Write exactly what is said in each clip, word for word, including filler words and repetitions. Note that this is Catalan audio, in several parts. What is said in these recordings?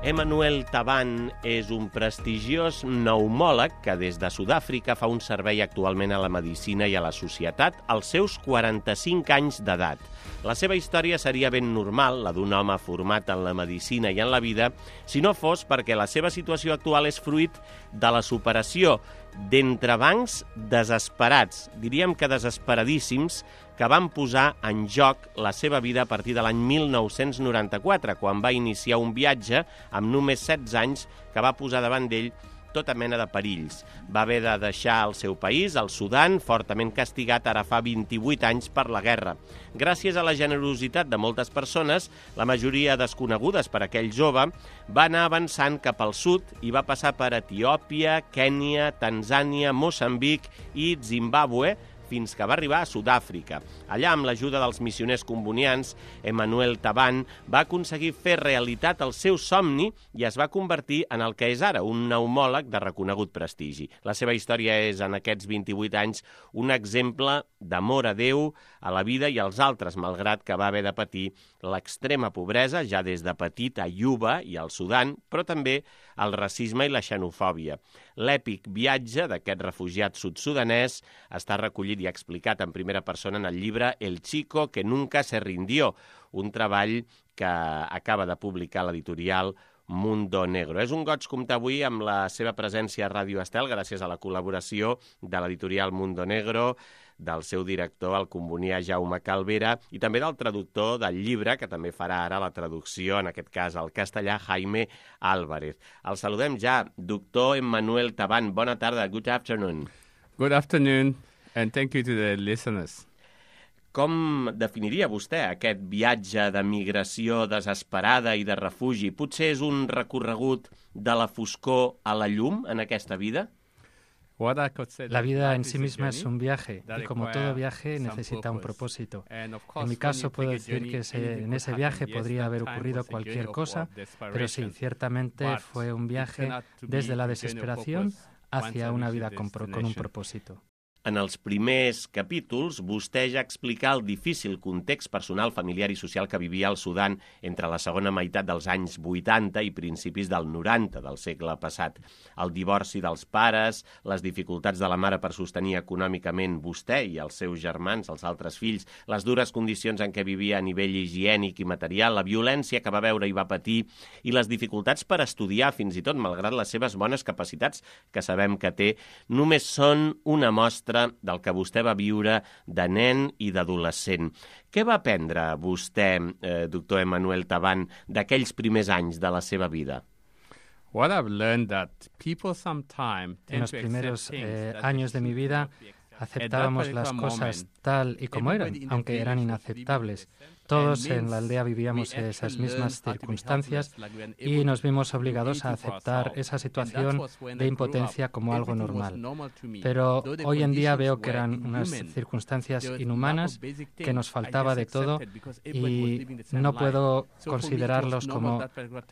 Emmanuel Taban és un prestigiós pneumòleg que des de Sud-àfrica fa un servei actualment a la medicina i a la societat als seus quaranta-cinc anys d'edat. La seva història seria ben normal, la d'un home format en la medicina i en la vida, si no fos perquè la seva situació actual és fruit de la superació d'entrebancs desesperats, diríem que desesperadíssims, que van posar en joc la seva vida a partir de l'any mil nou-cents noranta-quatre, quan va iniciar un viatge amb només setze anys que va posar davant d'ell tota mena de perills. Va haver de deixar el seu país, el Sudan, fortament castigat ara fa vint-i-vuit anys per la guerra. Gràcies a la generositat de moltes persones, la majoria desconegudes per aquell jove, va anar avançant cap al sud i va passar per Etiòpia, Kènia, Tanzània, Moçambic i Zimbàbue, fins que va arribar a Sud-àfrica. Allà, amb l'ajuda dels missioners combonians, Emmanuel Taban va aconseguir fer realitat el seu somni i es va convertir en el que és ara, un pneumòleg de reconegut prestigi. La seva història és, en aquests vint-i-vuit anys, un exemple d'amor a Déu, a la vida i als altres, malgrat que va haver de patir l'extrema pobresa, ja des de petit a Juba i al Sudan, però també el racisme i la xenofòbia. L'èpic viatge d'aquest refugiat sud-sudanès està recollit i explicat en primera persona en el llibre El chico que nunca se rindió, un treball que acaba de publicar l'editorial Mundo Negro. És un goig comptar avui amb la seva presència a Ràdio Estel, gràcies a la col·laboració de l'editorial Mundo Negro, del seu director, el combonià Jaume Calvera, i també del traductor del llibre, que també farà ara la traducció, en aquest cas al castellà, Jaime Álvarez. El saludem ja, doctor Emmanuel Taban. Bona tarda, good afternoon. Good afternoon, and thank you to the listeners. Com definiria vostè aquest viatge de migració desesperada i de refugi? Potser és un recorregut de la foscor a la llum en aquesta vida? La vida en sí misma es un viaje y como todo viaje necesita un propósito. En mi caso puedo decir que se, en ese viaje podría haber ocurrido cualquier cosa, pero sí, ciertamente fue un viaje desde la desesperación hacia una vida con, con un propósito. En els primers capítols, vostè ja explica el difícil context personal, familiar i social que vivia el Sudan entre la segona meitat dels anys vuitanta i principis del noranta del segle passat. El divorci dels pares, les dificultats de la mare per sostenir econòmicament vostè i els seus germans, els altres fills, les dures condicions en què vivia a nivell higiènic i material, la violència que va veure i va patir i les dificultats per estudiar, fins i tot, malgrat les seves bones capacitats, que sabem que té, només són una mostra del que vostè va viure de nen i d'adolescent. Què va aprendre vostè, eh, doctor Emmanuel Taban, d'aquells primers anys de la seva vida? En los primeros eh, años de mi vida aceptábamos las cosas tal y como eran, aunque eran inaceptables. Todos en la aldea vivíamos esas mismas circunstancias y nos vimos obligados a aceptar esa situación de impotencia como algo normal. Pero hoy en día veo que eran unas circunstancias inhumanas, que nos faltaba de todo y no puedo considerarlos como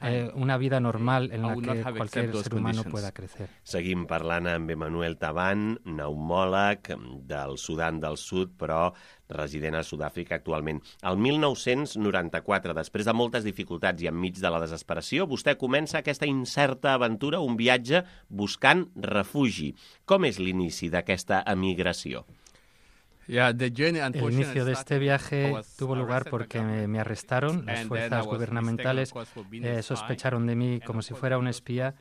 eh, una vida normal en la que cualquier ser humano pueda crecer. Seguim parlant amb Emmanuel Taban, pneumòleg del Sudan del Sud, però resident a Sud-àfrica actualment. El mil nou-cents noranta-quatre, després de moltes dificultats i enmig de la desesperació, vostè comença aquesta incerta aventura, un viatge buscant refugi. Com és l'inici d'aquesta emigració? El inicio de este viaje tuvo lugar porque me, me arrestaron. Las fuerzas gubernamentales eh, sospecharon de mí como si fuera un espía.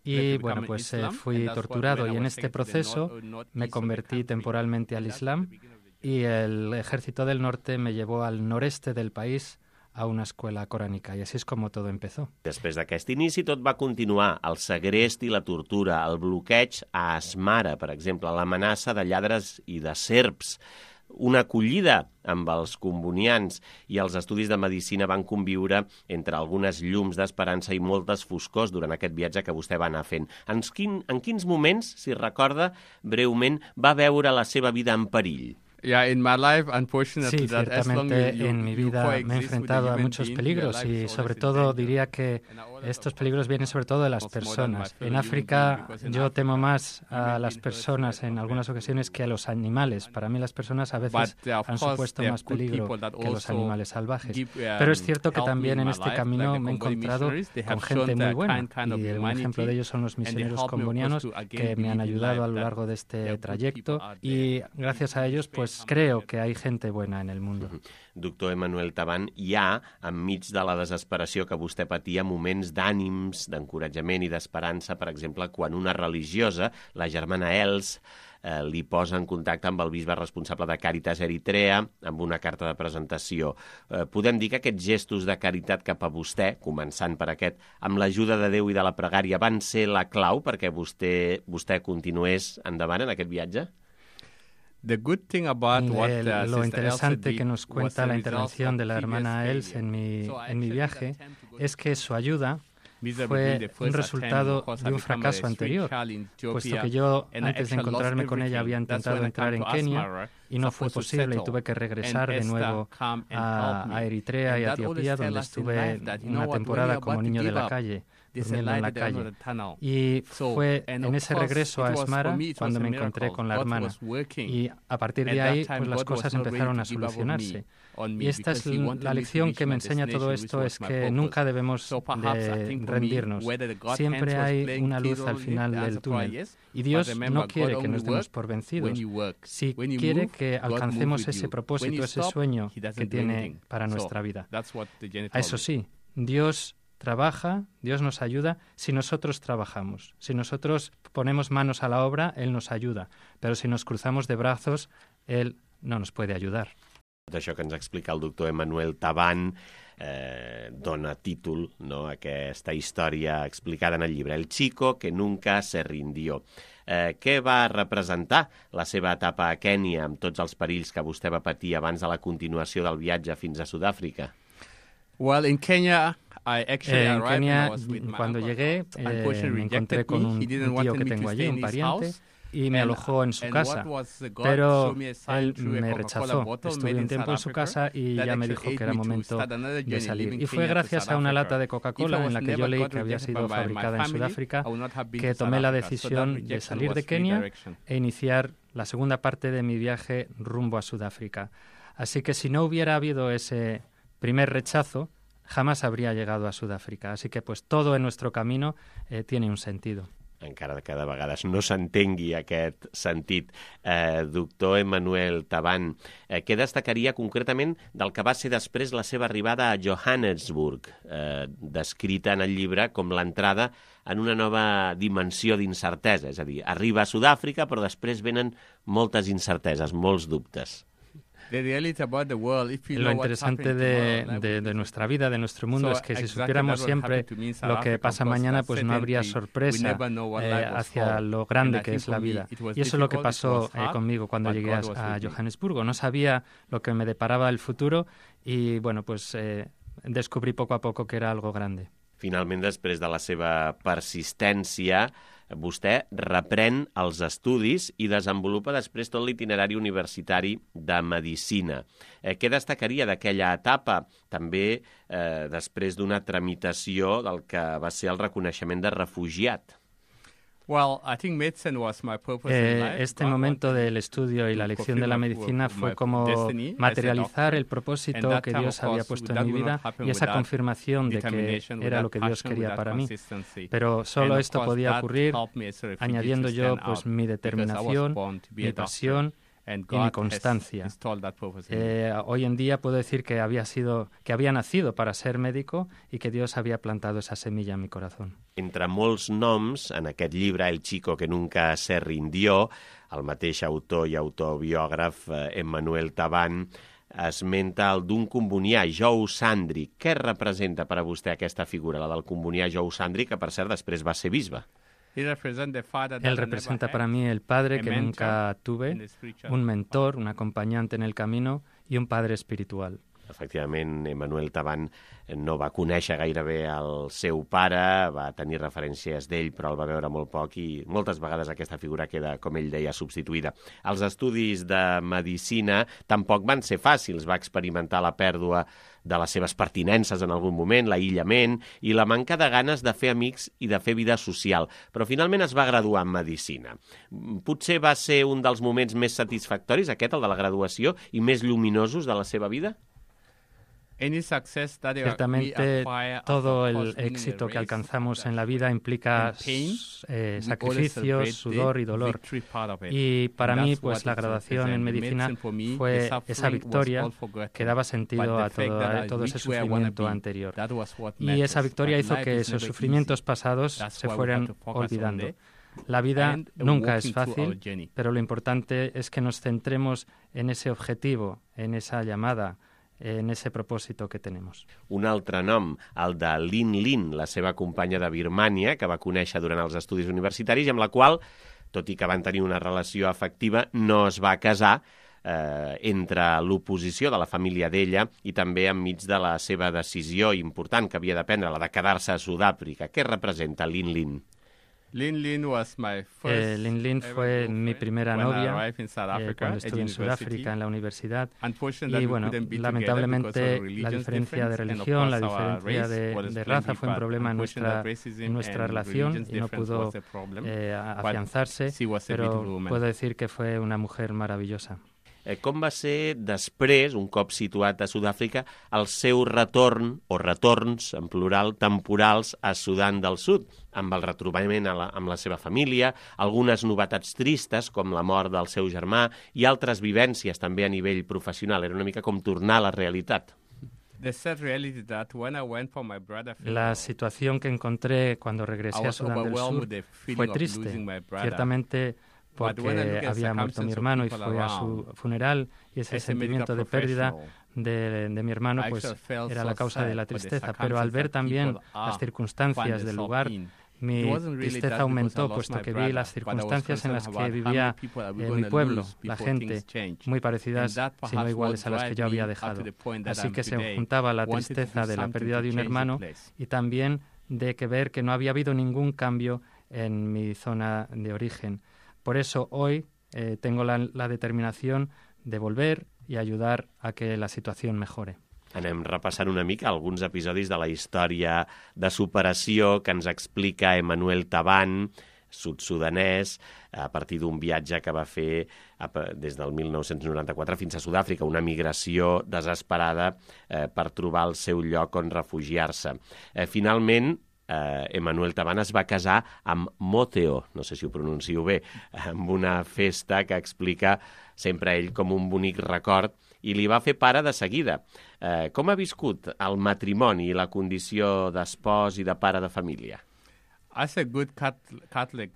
Y bueno, pues eh, fui torturado y en este proceso me convertí temporalmente al Islam y el ejército del norte me llevó al noreste del país a una escuela corànica, i així és com tot empezó. Després d'aquest inici tot va continuar, el segrest i la tortura, el bloqueig a Asmara, per exemple, l'amenaça de lladres i de serps, una acollida amb els combonians i els estudis de medicina van conviure entre algunes llums d'esperança i moltes foscors durant aquest viatge que vostè va anar fent. En, quin, en quins moments, si recorda breument, va veure la seva vida en perill? Yeah, in my life, unfortunately, Sí, that as long ciertamente as you, en mi you vida me he coexist with the enfrentado a human muchos being, peligros your life y is sobre always in todo danger. diría que And I always estos of peligros course, vienen sobre todo de las almost more than my personas. fellow En human África being, because in yo temo Africa, más a human las being personas threat en of algunas threat ocasiones to que a los animales. Para mí las personas a veces But, uh, of han course, supuesto there are más good peligro people that que los also animales salvajes. give, um, Pero es cierto que help me también in en my este life, camino like the me he Comboni encontrado missionaries. They have con shown gente muy the buena kind, kind of y un ejemplo humanity, de ellos son los and they misioneros help me, of course, combonianos to again que me han believe in ayudado life a lo that largo de there este are good trayecto people out y there. gracias a ellos pues creo que hay gente buena en el mundo. Doctor Emmanuel Taban, hi ha, enmig de la desesperació que vostè patia, moments d'ànims, d'encoratjament i d'esperança, per exemple, quan una religiosa, la germana Els, eh, li posa en contacte amb el bisbe responsable de Càritas Eritrea amb una carta de presentació. Eh, podem dir que aquests gestos de caritat cap a vostè, començant per aquest, amb l'ajuda de Déu i de la pregària, van ser la clau perquè vostè, vostè continués endavant en aquest viatge? The good thing about what, uh, El, lo Sister interesante Elsa que nos did was cuenta the la results intervención of de la previous hermana Els failure. en mi, So en mi actually viaje the attempt to go es que su ayuda Miserably fue the first un resultado attempt, of course, de I un become a fracaso street anterior, child in puesto Ethiopia, que yo and I antes de actually encontrarme lost con ella había everything. That's intentado when I entrar come en to Kenia Asmara, y no fue supposed to posible y settle. tuve que regresar And de Esther nuevo come and a, help me. a Eritrea y And a that always Etiopía, tell donde us in estuve life that, you know una what, when temporada you're como about to niño de give la up, calle, there's a durmiendo en light la at the end of calle. the tunnel. Y So, fue and en of ese course, regreso a it was- for Asmara me, it was cuando a me encontré miracle. con la God hermana. was working. Y a partir At de that ahí, time, pues las God was cosas not ready empezaron to a give up on solucionarse. me, on me, Y esta because es he wanted la me to lección reach que me my enseña todo destination, esto, which es was my que purpose. nunca debemos So perhaps I de think for me, rendirnos. whether the God Siempre hands was hay playing una key luz al role in it, final the del answer probably túnel. yes. Y Dios But remember, no God quiere que only nos demos works por when vencidos. you work. Si When you quiere move, que God moves alcancemos with ese you. propósito, When you ese stop, sueño he doesn't que do tiene anything. para So, nuestra vida. that's what the Jenny A eso told me. sí, Dios trabaja, Dios nos ayuda si nosotros trabajamos. Si nosotros ponemos manos a la obra, Él nos ayuda. Pero si nos cruzamos de brazos, Él no nos puede ayudar. Tot això que ens explica el doctor Emmanuel Taban eh, dona títol, no, a aquesta història explicada en el llibre El chico que nunca se rindió. Eh, què va representar la seva etapa a Kènia amb tots els perills que vostè va patir abans de la continuació del viatge fins a Sud-àfrica? Well, in Kenya, I actually En arrived Kenia, and I was with my cuando uncle. llegué, eh, Unfortunately me encontré rejected con me. un, He didn't un want tío me que to tengo stay allí, in un his pariente, house. y me And- alojó en su and casa. what was the God Pero showed me a sign él through a me Coca-Cola rechazó. bottle Estuve made un in tiempo South en su Africa casa y that ya me actually dijo que aided era me to momento start another de journey, salir. leaving Y fue Kenya to gracias South a una Africa. lata de If I Coca-Cola en was la que never yo leí got que había rejected sido by my fabricada en family, Sudáfrica, I would not have been que to South tomé la Africa. So that decisión de rejection salir was de Kenia redirection. e iniciar la segunda parte de mi viaje rumbo a Sudáfrica. Así que si no hubiera habido ese primer rechazo, jamás habría llegado a Sudáfrica. Así que pues todo en nuestro camino eh, tiene un sentido. Encara que de vegades no s'entengui aquest sentit. Eh, doctor Emmanuel Taban, eh, què destacaria concretament del que va ser després la seva arribada a Johannesburg, eh, descrita en el llibre com l'entrada en una nova dimensió d'incertesa? És a dir, arriba a Sud-àfrica, però després venen moltes incerteses, molts dubtes. Lo interesante de, de, de nuestra vida, de nuestro mundo, so, es que si supiéramos siempre lo que pasa mañana, pues no habría sorpresa eh, hacia lo grande que es la vida. Y eso es lo que pasó eh, conmigo cuando llegué a, a Johannesburgo. No sabía lo que me deparaba el futuro y, bueno, pues eh, descubrí poco a poco que era algo grande. Finalment, després de la seva persistència, vostè reprèn els estudis i desenvolupa després tot l'itinerari universitari de Medicina. Eh, què destacaria d'aquella etapa, també eh, després d'una tramitació del que va ser el reconeixement de refugiat? Well, I think medicine was my purpose in life. Eh, este momento del estudio y la lección de la medicina fue como materializar el propósito que Dios había puesto en mi vida y esa confirmación de que era lo que Dios quería para mí. Pero solo esto podía ocurrir añadiendo yo pues mi determinación, mi pasión y mi constancia. Eh, hoy en día puedo decir que había sido, que había nacido para ser médico y que Dios había plantado esa semilla en mi corazón. Entre molts noms, en aquest llibre El chico que nunca se rindió, el mateix autor i autobiògraf eh, Emmanuel Taban esmenta el d'un combonià, Jou Sandri. Què representa per a vostè aquesta figura, la del combonià Jou Sandri, que per cert després va ser bisbe? Él representa para mí el padre que nunca tuve, un mentor, un acompañante en el camino y un padre espiritual. Efectivament, Emmanuel Taban no va conèixer gairebé el seu pare, va tenir referències d'ell, però el va veure molt poc i moltes vegades aquesta figura queda, com ell deia, substituïda. Els estudis de medicina tampoc van ser fàcils, va experimentar la pèrdua de les seves pertinences en algun moment, l'aïllament i la manca de ganes de fer amics i de fer vida social, però finalment es va graduar en medicina. Potser va ser un dels moments més satisfactoris, aquest, el de la graduació, i més lluminosos de la seva vida? Ciertamente, todo el éxito que alcanzamos en la vida implica eh, sacrificios, sudor y dolor. Y para mí, pues la graduación en medicina fue esa victoria que daba sentido a todo, a todo ese sufrimiento anterior. Y esa victoria hizo que esos sufrimientos pasados se fueran olvidando. La vida nunca es fácil, pero lo importante es que nos centremos en ese objetivo, en esa llamada, en ese propòsit que tenim. Un altre nom, el de Lin Lin, la seva companya de Birmània, que va conèixer durant els estudis universitaris i amb la qual, tot i que van tenir una relació afectiva, no es va casar eh, entre l'oposició de la família d'ella i també enmig de la seva decisió important que havia de prendre, la de quedar-se a Sud-àfrica. Què representa Lin Lin? Lin Lin, was my first eh, Lin Lin fue mi primera novia eh, cuando estuve en Sudáfrica en la universidad y bueno, lamentablemente la diferencia de religión, la diferencia de, de raza fue un problema en nuestra, en nuestra relación y no pudo eh, afianzarse, pero puedo decir que fue una mujer maravillosa. Eh, com va ser després, un cop situat a Sud-àfrica, el seu retorn, o retorns, en plural, temporals a Sudan del Sud, amb el retrobament a la, amb la seva família, algunes novetats tristes, com la mort del seu germà, i altres vivències també a nivell professional. Era una mica com tornar a la realitat. La situación que encontré cuando regresé a Sudán del Sur fue triste, ciertamente, porque había muerto mi hermano y fui a su funeral y ese sentimiento de pérdida de, de mi hermano pues era la causa de la tristeza, pero al ver también las circunstancias del lugar, mi tristeza aumentó, puesto que vi las circunstancias en las que vivía eh, mi pueblo, la gente, muy parecidas, si no iguales a las que yo había dejado. Así que se juntaba la tristeza de la pérdida de un hermano y también de que ver que no había habido ningún cambio en mi zona de origen. Por eso hoy eh, tengo la, la determinación de volver y ayudar a que la situación mejore. Anem repassant una mica alguns episodis de la història de superació que ens explica Emmanuel Taban, sud-sudanès, a partir d'un viatge que va fer des del mil nou-cents noranta-quatre fins a Sud-àfrica, una migració desesperada eh, per trobar el seu lloc on refugiar-se. Eh, finalment, Uh, Emmanuel Taban es va casar amb Moteo, no sé si ho pronuncio bé, amb una festa que explica sempre ell com un bonic record i li va fer pare de seguida. Uh, com ha viscut el matrimoni i la condició d'espòs i de pare de família?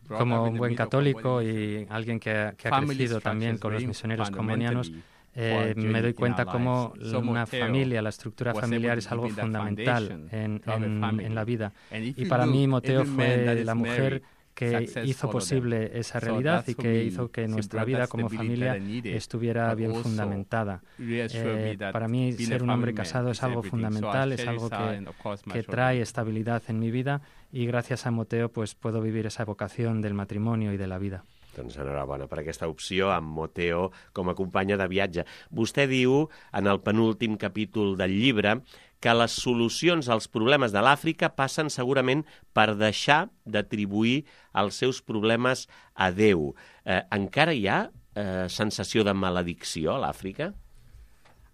Como un buen católico y alguien que, que ha crecido también con los misioneros comunianos, Eh, me doy cuenta cómo una familia, la estructura familiar es algo fundamental en, en, en la vida. Y para mí Moteo fue la mujer que hizo posible esa realidad y que hizo que nuestra vida como familia estuviera bien fundamentada. Eh, para mí ser un hombre casado es algo fundamental, es algo que, que trae estabilidad en mi vida y gracias a Moteo pues puedo vivir esa vocación del matrimonio y de la vida. Doncs enhorabona per aquesta opció amb Moteo com a companya de viatge. Vostè diu, en el penúltim capítol del llibre, que les solucions als problemes de l'Àfrica passen segurament per deixar d'atribuir els seus problemes a Déu. Eh, encara hi ha eh, sensació de maledicció a l'Àfrica?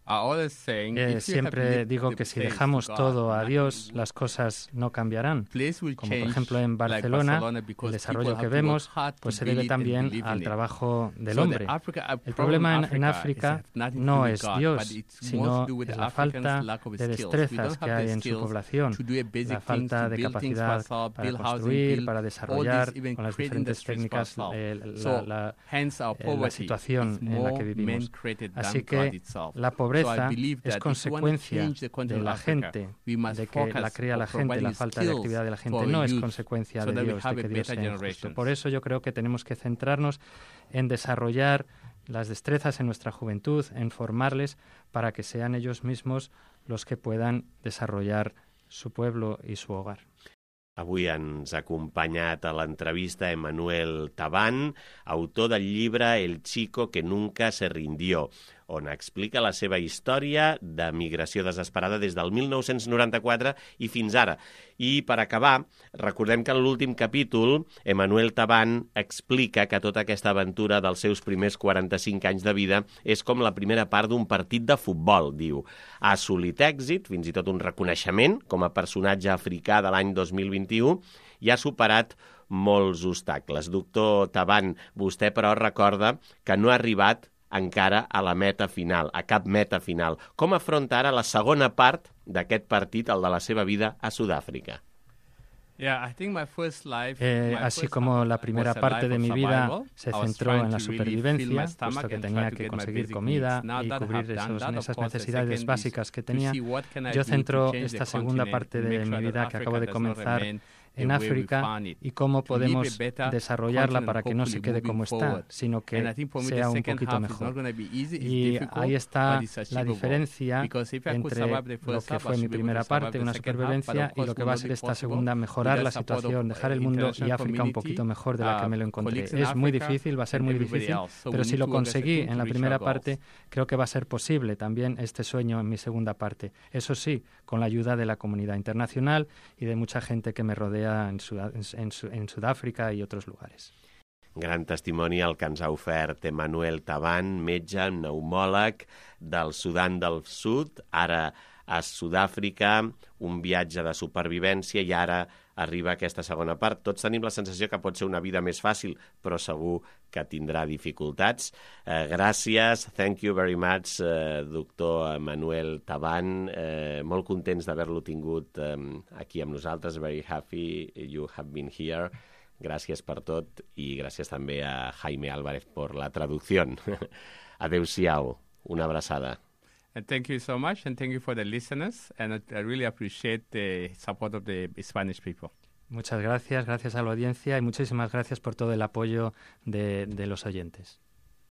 Eh, siempre digo que si dejamos todo a Dios, las cosas no cambiarán. Como por ejemplo en Barcelona, el desarrollo que vemos pues se debe también al trabajo del hombre. El problema en, en África no es Dios, sino es la falta de destrezas que hay en su población, la falta de capacidad para construir, para desarrollar con las diferentes técnicas eh, la, la, eh, la situación en la que vivimos. Así que la pobreza es consecuencia de la gente, de que la crea la gente, la falta de actividad de la gente, no es consecuencia de Dios, de que Dios sea injusto. Por eso yo creo que tenemos que centrarnos en desarrollar las destrezas en nuestra juventud, en formarles para que sean ellos mismos los que puedan desarrollar su pueblo y su hogar. Avui ens ha acompanyat a l'entrevista Emmanuel Taban, autor del llibre El chico que nunca se rindió, on explica la seva història de migració desesperada des del mil nou-cents noranta-quatre i fins ara. I per acabar, recordem que en l'últim capítol Emmanuel Taban explica que tota aquesta aventura dels seus primers quaranta-cinc anys de vida és com la primera part d'un partit de futbol, diu. Ha assolit èxit, fins i tot un reconeixement com a personatge africà de l'any dos mil vint-i-u i ha superat molts obstacles. Doctor Taban, vostè però recorda que no ha arribat encara a la meta final, a cap meta final. Com afronta ara la segona part d'aquest partit, el de la seva vida a Sudàfrica? Eh, así como la primera parte de mi vida se centró en la supervivencia, puesto que tenía que conseguir comida y cubrir esos, esas necesidades básicas que tenía, yo centro esta segunda parte de mi vida que acabo de comenzar en África y cómo podemos desarrollarla para que no se quede como está, sino que sea un poquito mejor. Y ahí está la diferencia entre lo que fue mi primera parte, una supervivencia, y lo que va a ser esta segunda, mejorar la situación, dejar el mundo y África un poquito mejor de la que me lo encontré. Es muy difícil, va a ser muy difícil, pero si lo conseguí en la primera parte, creo que va a ser posible también este sueño en mi segunda parte. Eso sí, con la ayuda de la comunidad internacional y de mucha gente que me rodea en, Sud en, en Sud-àfrica i altres lugares. Gran testimoni el que ens ha ofert Emmanuel Taban, metge, pneumòleg del Sudan del Sud, ara a Sud-àfrica, un viatge de supervivència i ara arriba aquesta segona part. Tots tenim la sensació que pot ser una vida més fàcil, però segur que tindrà dificultats. Eh, gràcies, thank you very much, eh, doctor Emmanuel Taban. Eh, molt contents d'haver-lo tingut eh, aquí amb nosaltres. Very happy you have been here. Gràcies per tot i gràcies també a Jaime Álvarez per la traducció. Adéu-siau, una abraçada. And thank you so much, and thank you for the listeners, and I, I really appreciate the support of the Spanish people. Muchas gracias, gracias a la audiencia y muchísimas gracias por todo el apoyo de, de los oyentes.